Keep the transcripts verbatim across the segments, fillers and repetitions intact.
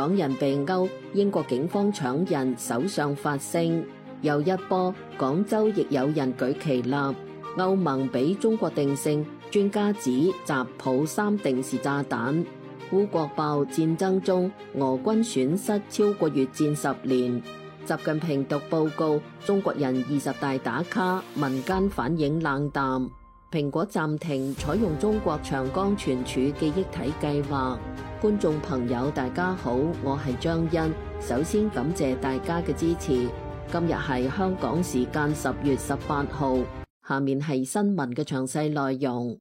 港人被勾，英國警方搶人，首相發聲。又一波，廣州亦有人舉旗立。歐盟俾中國定性，專家指習普三定是炸彈。烏國爆戰爭中，俄軍損失超過越戰十年。習近平讀報告，中國人二十大打卡，民間反應冷淡。蘋果暫停採用中國長江存儲記憶體計劃。觀眾朋友大家好，我係張欣，首先感謝大家嘅支持。今日係香港時間十月十八號，下面係新聞嘅詳細內容。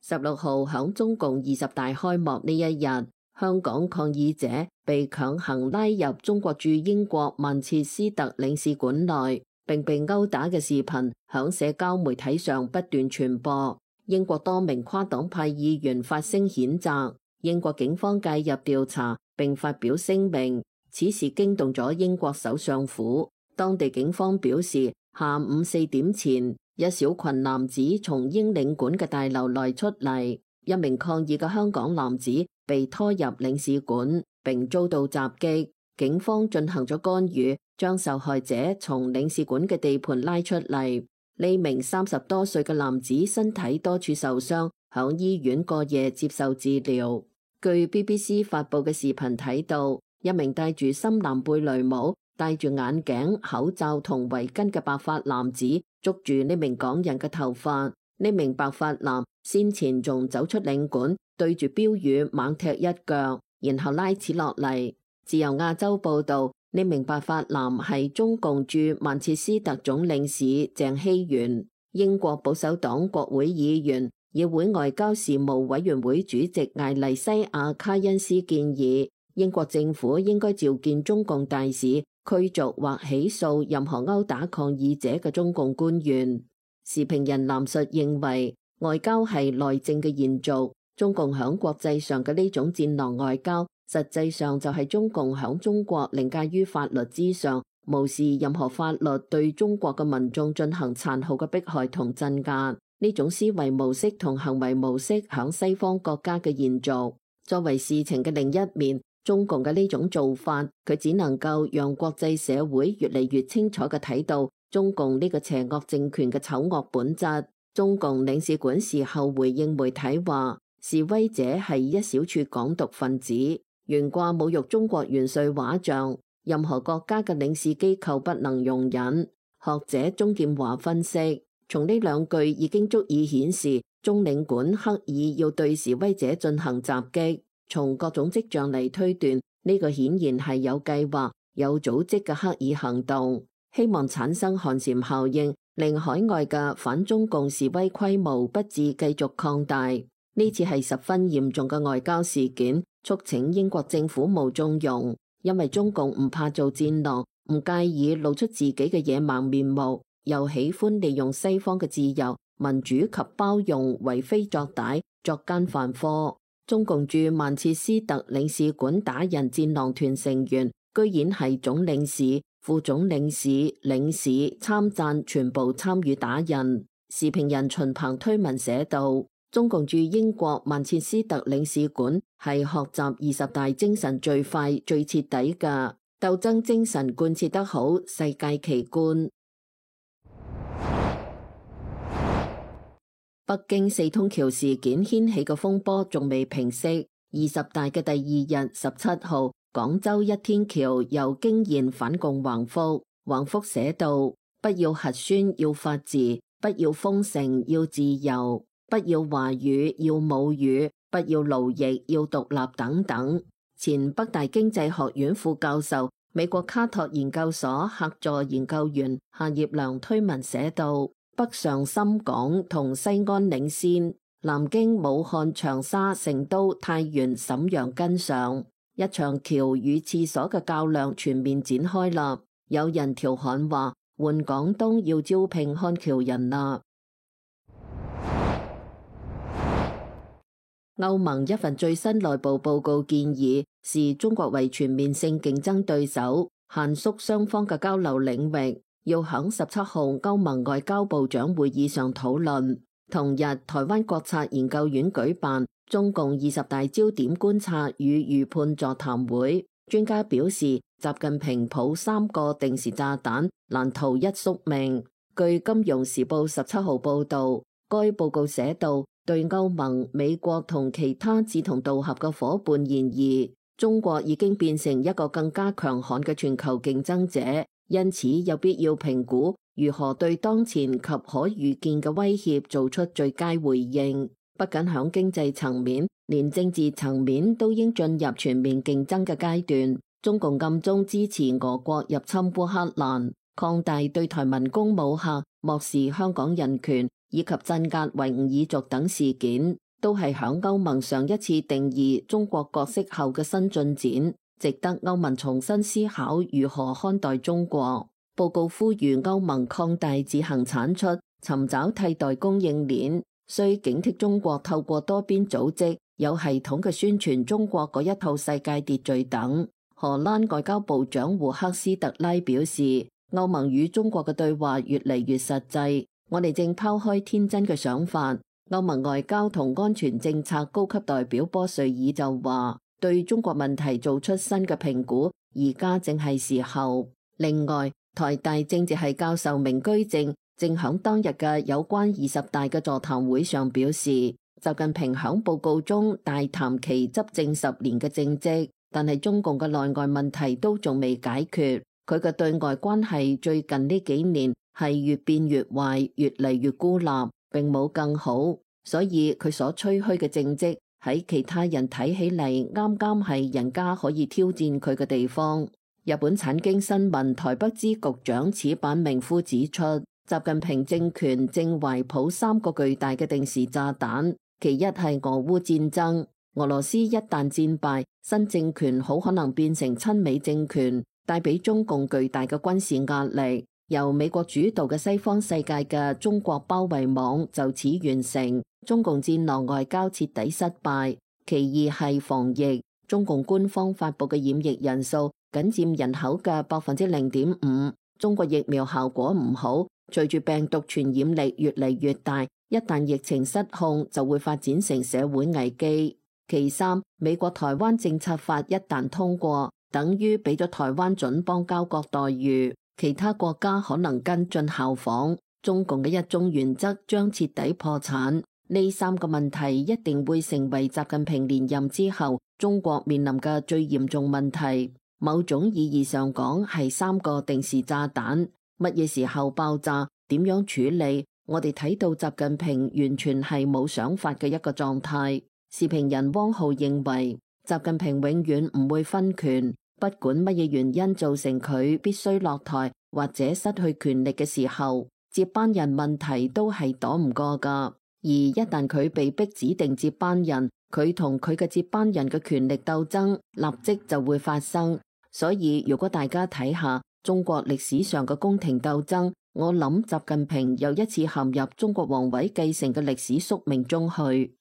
十六號響中共二十大開幕呢一日，香港抗議者被強行拉入中國駐英國曼徹斯特領事館內，並被毆打嘅視頻響社交媒體上不斷傳播。英國多名跨黨派議員發聲譴責，英國警方介入調查並發表聲明，此事驚動咗英國首相府。當地警方表示，下午四點前，一小群男子從英領館嘅大樓內出嚟，一名抗議嘅香港男子被拖入領事館並遭到襲擊，警方進行咗干預，將受害者從領事館嘅地盤拉出嚟。呢名三十多歲嘅男子身體多處受傷，響醫院過夜接受治療。據 B B C 發佈嘅視頻睇到，一名戴住深藍貝雷帽、戴住眼鏡、口罩同圍巾嘅白髮男子捉住呢名港人嘅頭髮。呢名白髮男先前仲走出領館，對住標語猛踢一腳，然後拉扯落嚟。自由亞洲報道，呢名白髮男係中共駐曼徹斯特總領事鄭希元。英國保守黨國會議員、議會外交事務委員會主席艾麗西亞卡恩斯建議，英國政府應該召見中共大使，驅逐或起訴任何毆打抗議者嘅中共官員。時評人藍述認為，外交係內政嘅延續，中共響國際上嘅呢種戰狼外交，實際上就係中共響中國凌駕於法律之上，無視任何法律對中國嘅民眾進行殘酷嘅迫害同鎮壓。呢種思維模式同行為模式響西方國家嘅延續。作為事情嘅另一面，中共嘅呢種做法，佢只能夠讓國際社會越嚟越清楚嘅睇到中共呢個邪惡政權嘅醜惡本質。中共領事館事後回應媒體話，示威者係一小撮港獨分子，懸掛侮辱中國元帥畫像，任何國家嘅領事機構不能容忍。學者鍾劍華分析，從呢兩句已經足以顯示中領館刻意要對示威者進行襲擊。從各種跡象嚟推斷，呢個顯然係有計劃、有組織嘅刻意行動，希望產生寒蟬效應，令海外嘅反中共示威規模不致繼續擴大。呢次係十分嚴重嘅外交事件，促請英國政府務縱容，因為中共唔怕做戰狼，唔介意露出自己嘅野蠻面目，又喜歡利用西方嘅自由、民主及包容為非作歹、作奸犯科。中共駐曼徹斯特領事館打人戰狼團成員，居然係總領事、副總領事、領事、參贊全部參與打人。時評人秦鵬推文寫道，中共駐英國曼徹斯特領事館係學習二十大精神最快、最徹底嘅鬥爭精神貫徹得好，世界奇觀。北京四通橋事件掀起嘅風波仲未平息，二十大嘅第二日十七號，廣州一天橋又驚現反共橫幅，橫幅寫道：不要核酸，要法治；不要封城，要自由；不要華語，要母語；不要奴役，要獨立等等。前北大經濟學院副教授、美國卡托研究所客座研究員夏業良推文寫道：北上深港同西安領先，南京、武漢、長沙、成都、太原、瀋陽跟上，一場橋與廁所嘅較量全面展開啦。有人調侃話，換廣東要招聘看橋人啦。歐盟一份最新內部報告建議，視中國為全面性競爭對手，限縮雙方嘅交流領域。要響十七號歐盟外交部長會議上討論。同日，台灣國策研究院舉辦中共二十大焦點觀察與預判座談會，專家表示，習近平抱三個定時炸彈，難逃一宿命。據《金融時報》十七號報導，該報告寫道，對歐盟、美國同其他志同道合嘅夥伴而言，中國已經變成一個更加強悍嘅全球競爭者，因此有必要評估如何對當前及可預見嘅威脅做出最佳回應。不僅響經濟層面，連政治層面都應進入全面競爭嘅階段。中共暗中支持俄國入侵烏克蘭，擴大對台文攻武嚇，漠視香港人權，以及鎮壓維吾爾族等事件，都係響歐盟上一次定義中國角色後嘅新進展，值得歐盟重新思考如何看待中國。報告呼籲歐盟擴大自行產出，尋找替代供應鏈，需警惕中國透過多邊組織有系統嘅宣傳中國嗰一套世界秩序等。荷蘭外交部長胡克斯特拉表示，歐盟與中國嘅對話越嚟越實際，我哋正拋開天真嘅想法。歐盟外交同安全政策高級代表波瑞爾就話，對中國問題做出新嘅評估，而家正係時候。另外，台大政治系教授明居正正響當日嘅有關二十大嘅座談會上表示，習近平響報告中大談其執政十年嘅政績，但係中共嘅內外問題都仲未解決，佢嘅對外關係最近呢幾年係越變越壞，越嚟越孤立，並冇更好，所以佢所吹噓嘅政績喺其他人睇起嚟啱啱係人家可以挑戰佢嘅地方。日本產經新聞台北支局長矢板明夫指出，習近平政權正懷抱三個巨大嘅定時炸彈，其一係俄烏戰爭，俄羅斯一旦戰敗，新政權好可能變成親美政權，帶俾中共巨大嘅軍事壓力。由美國主導嘅西方世界嘅中國包圍網就此完成，中共戰狼外交徹底失敗。其二係防疫，中共官方發佈嘅染疫人數僅佔人口嘅百分之零點五，中國疫苗效果唔好，隨住病毒傳染力越嚟越大，一旦疫情失控，就會發展成社會危機。其三，美國台灣政策法一旦通過，等於俾咗台灣準邦交國待遇，其他國家可能跟進效仿，中共嘅一中原則將徹底破產。呢三個問題一定會成為習近平連任之後中國面臨嘅最嚴重問題。某種意義上講，係三個定時炸彈，乜嘢時候爆炸，點樣處理，我哋睇到習近平完全係冇想法嘅一個狀態。時評人汪浩認為，習近平永遠唔會分權，不管乜嘢原因造成佢必須落台或者失去權力嘅時候，接班人問題都係躲唔過噶。而一旦佢被逼指定接班人，佢同佢嘅接班人嘅權力鬥爭立即就會發生。所以如果大家睇下中國歷史上嘅宮廷鬥爭，我諗習近平又一次陷入中國皇位繼承嘅歷史宿命中去。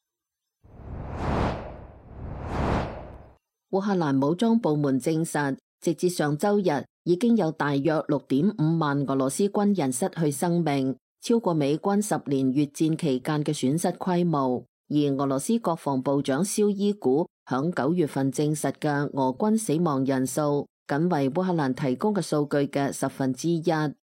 烏克蘭武裝部門證實，直至上周日已經有大約六點五萬俄羅斯軍人失去生命，超過美軍十年越戰期間嘅損失規模。而俄羅斯國防部長紹伊古響九月份證實嘅俄軍死亡人數，僅為烏克蘭提供嘅數據嘅十分之一。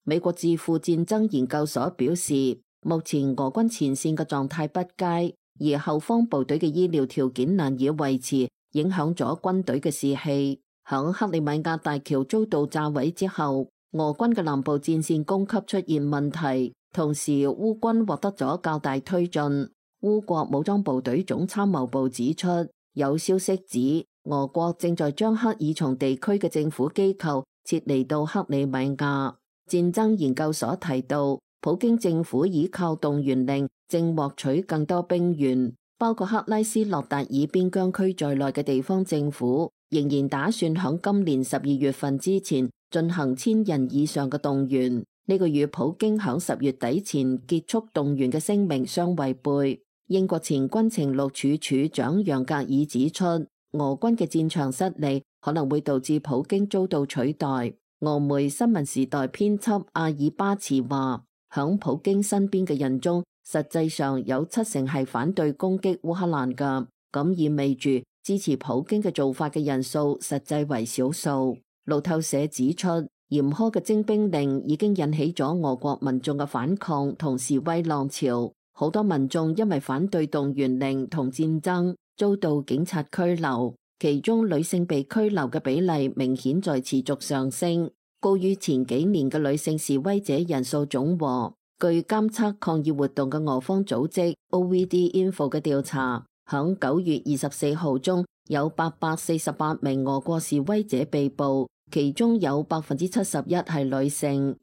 美國智庫戰爭研究所表示，目前俄軍前線嘅狀態不佳，而後方部隊嘅醫療條件難以維持，影響咗軍隊嘅士氣。響克里米亞大橋遭到炸毀之後，俄軍嘅南部戰線供給出現問題，同時烏軍獲得咗較大推進。烏國武裝部隊總參謀部指出，有消息指俄國正在將克爾松地區嘅政府機構撤離到克里米亞。戰爭研究所提到，普京政府依靠動員令正獲取更多兵員，包括克拉斯諾達爾邊疆區在內嘅地方政府仍然打算響今年十二月份之前進行千人以上嘅動員。呢個與普京響十月底前結束動員嘅聲明相違背。英國前軍情六處處長楊格爾指出，俄軍嘅戰場失利可能會導致普京遭到取代。俄媒新聞時代編輯阿爾巴茨話，響普京身邊嘅人中，實際上有七成係反對攻擊烏克蘭㗎，咁意味住支持普京嘅做法嘅人數實際為少數。路透社指出，嚴苛嘅徵兵令已經引起咗俄國民眾嘅反抗同示威浪潮，好多民眾因為反對動員令同戰爭遭到警察拘留，其中女性被拘留嘅比例明顯在持續上升，高於前幾年嘅女性示威者人數總和。據監測抗議活動嘅俄方組織 O V D Info 嘅調查，響九月二十四號中有八百四十八名俄國示威者被捕，其中有百分之七十一係女性。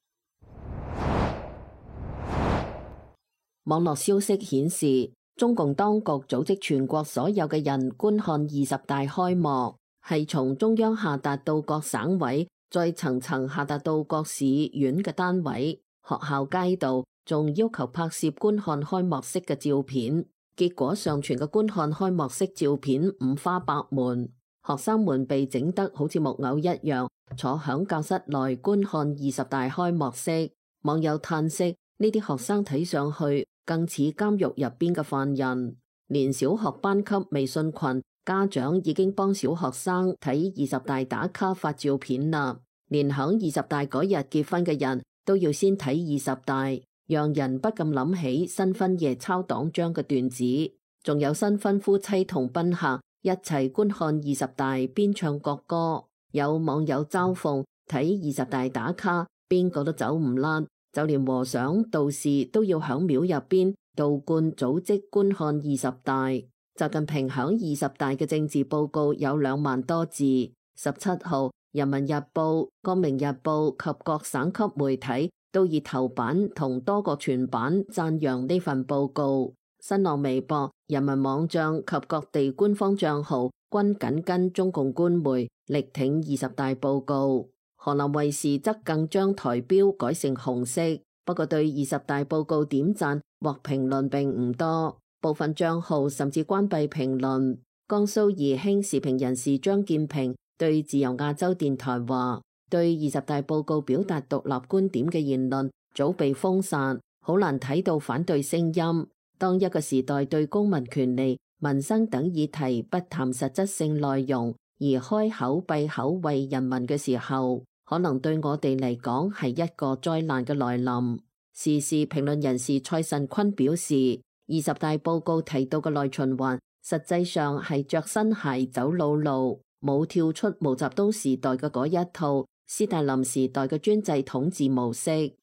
網絡消息顯示，中共當局組織全國所有嘅人觀看二十大開幕，係從中央下達到各省委，再層層下達到各市縣嘅單位。學校街道仲要求拍攝觀看開幕式嘅照片，結果上傳嘅觀看開幕式照片五花八門，學生們被整得好似木偶一樣，坐響教室內觀看二十大開幕式。網友嘆息，呢啲學生睇上去更似監獄入邊嘅犯人。連小學班級微信群家長已經幫小學生睇二十大打卡發照片啦，連響二十大嗰日結婚嘅人都要先睇二十大，讓人不禁諗起新婚夜抄黨章嘅段子。仲有新婚夫妻同賓客一齊觀看二十大，邊唱國歌。有網友嘲諷，睇二十大打卡，邊個都走唔甩，就連和尚道士都要響廟入邊道觀組織觀看二十大。習近平響二十大嘅政治報告有兩萬多字。十七號，人民日報、光明日報及各省級媒體都以頭版同多個全版讚揚呢份報告。新浪微博、人民網帳及各地官方帳號均緊跟中共官媒力挺二十大報告。河南衛視則更將台標改成紅色，不過對二十大報告點讚或評論並唔多，部分帳號甚至關閉評論。江蘇宜興時評人士張建平對自由亞洲電台話，對二十大報告表達獨立觀點嘅言論早被封殺，好難睇到反對聲音。當一個時代對公民權利、民生等議題不談實質性內容，而開口閉口為人民嘅時候，可能對我哋嚟講係一個災難嘅來臨。時事評論人士蔡慎坤表示，二十大報告提到嘅內循環，實際上係着新鞋走老路，冇跳出毛澤東時代嘅嗰一套斯大林時代嘅專制統治模式。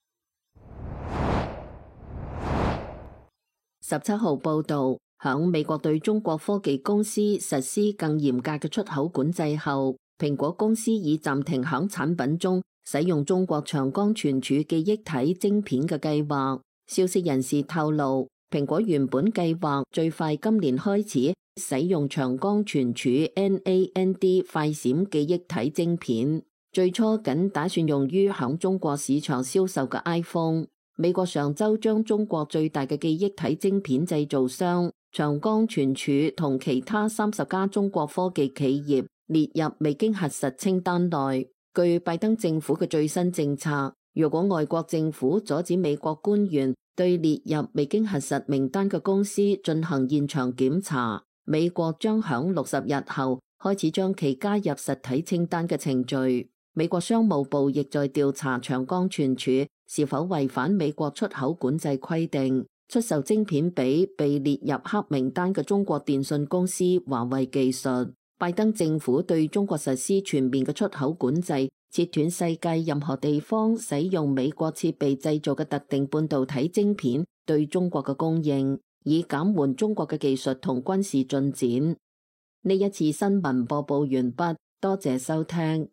十七號報道，響美國對中國科技公司實施更嚴格嘅出口管制後，蘋果公司已暫停響產品中使用中國長江存儲記憶體晶片嘅計劃。消息人士透露，蘋果原本計劃最快今年開始使用長江存儲 N A N D 快閃記憶體晶片，最初僅打算用於響中國市場銷售嘅 iPhone。美國上周將中國最大嘅記憶體晶片製造商長江存儲同其他三十家中國科技企業列入未經核實清單內。據拜登政府嘅最新政策，如果外國政府阻止美國官員對列入未經核實名單嘅公司進行現場檢查，美國將響六十日後開始將其加入實體清單嘅程序。美國商務部亦在調查長江存儲是否違反美國出口管制規定，出售晶片俾被列入黑名單嘅中國電信公司華為技術。拜登政府對中國實施全面嘅出口管制，切斷世界任何地方使用美國設備製造嘅特定半導體晶片對中國嘅供應，以減緩中國嘅技術同軍事進展。呢一次新聞播報完畢，多謝收聽。